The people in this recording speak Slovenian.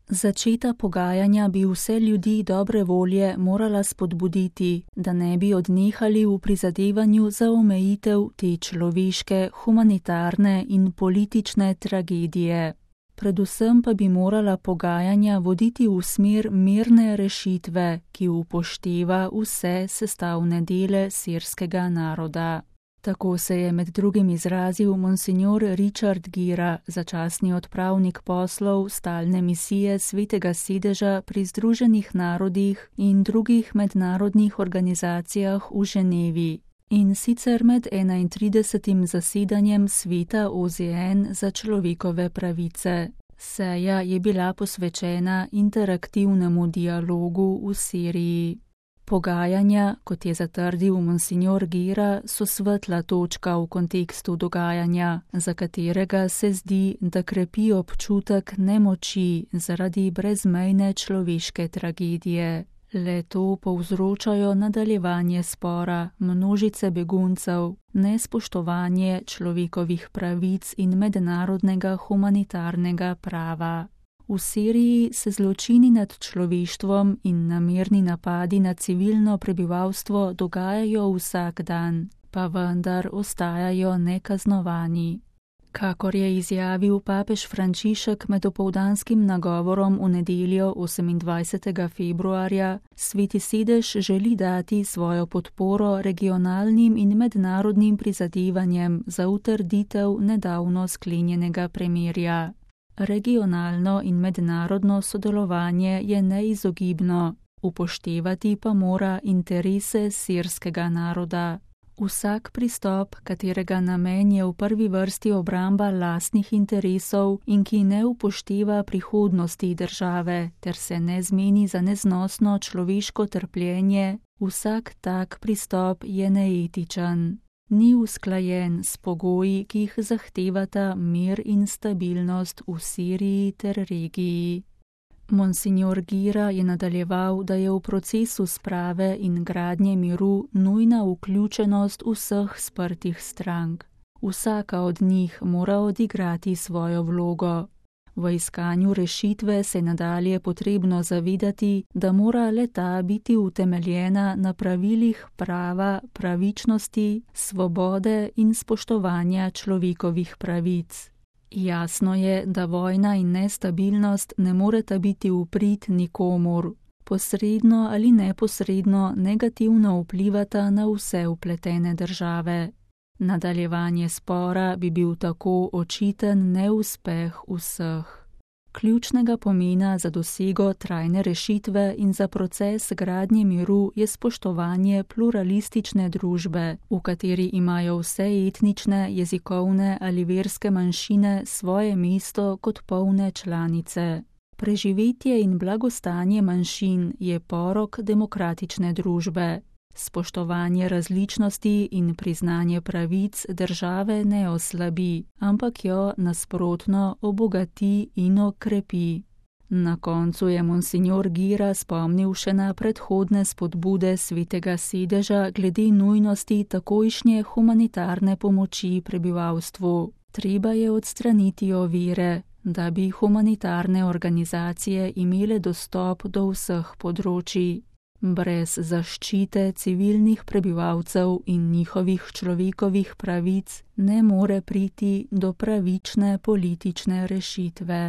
Začeta pogajanja bi vse ljudi dobre volje morala spodbuditi, da ne bi odnehali v prizadevanju za omejitev te človeške, humanitarne in politične tragedije. Predvsem pa bi morala pogajanja voditi v smer mirne rešitve, ki upošteva vse sestavne dele sirskega naroda. Tako se je med drugim izrazil monsignor Richard Gira, začasni odpravnik poslov stalne misije Svetega sedeža pri Združenih narodih in drugih mednarodnih organizacijah v Ženevi. In sicer med 31. zasedanjem Sveta OZN za človekove pravice. Seja je bila posvečena interaktivnemu dialogu v Siriji. Pogajanja, kot je zatrdil monsignor Gira, so svetla točka v kontekstu dogajanja, za katerega se zdi, da krepi občutek nemoči zaradi brezmejne človeške tragedije. Le to povzročajo nadaljevanje spora, množice beguncev, nespoštovanje človekovih pravic in mednarodnega humanitarnega prava. V Siriji se zločini nad človeštvom in namerni napadi na civilno prebivalstvo dogajajo vsak dan, pa vendar ostajajo nekaznovani. Kakor je izjavil papež Frančišek med opoldanskim nagovorom v nedeljo 28. februarja, Sveti sedež želi dati svojo podporo regionalnim in mednarodnim prizadevanjem za utrditev nedavno sklenjenega premirja. Regionalno in mednarodno sodelovanje je neizogibno, upoštevati pa mora interese sirskega naroda. Vsak pristop, katerega namen je v prvi vrsti obramba lastnih interesov in ki ne upošteva prihodnosti države ter se ne zmeni za neznosno človeško trpljenje, vsak tak pristop je neetičen. Ni usklajen s pogoji, ki jih zahtevata mir in stabilnost v Siriji ter regiji. Monsignor Gira je nadaljeval, da je v procesu sprave in gradnje miru nujna vključenost vseh sprtih strank. Vsaka od njih mora odigrati svojo vlogo. V iskanju rešitve se nadalje potrebno zavedati, da mora le-ta biti utemeljena na pravilih prava, pravičnosti, svobode in spoštovanja človekovih pravic. Jasno je, da vojna in nestabilnost ne moreta biti v prid nikomur. Posredno ali neposredno negativno vplivata na vse vpletene države. Nadaljevanje spora bi bil tako očiten neuspeh vseh. Ključnega pomena za dosego trajne rešitve in za proces gradnje miru je spoštovanje pluralistične družbe, v kateri imajo vse etnične, jezikovne ali verske manjšine svoje mesto kot polne članice. Preživetje in blagostanje manjšin je porok demokratične družbe. Spoštovanje različnosti in priznanje pravic države ne oslabi, ampak jo nasprotno obogati in okrepi. Na koncu je monsignor Gira spomnil še na predhodne spodbude Svetega sedeža glede nujnosti takojšnje humanitarne pomoči prebivalstvu. Treba je odstraniti ovire, da bi humanitarne organizacije imele dostop do vseh področij. Brez zaščite civilnih prebivalcev in njihovih človekovih pravic ne more priti do pravične politične rešitve.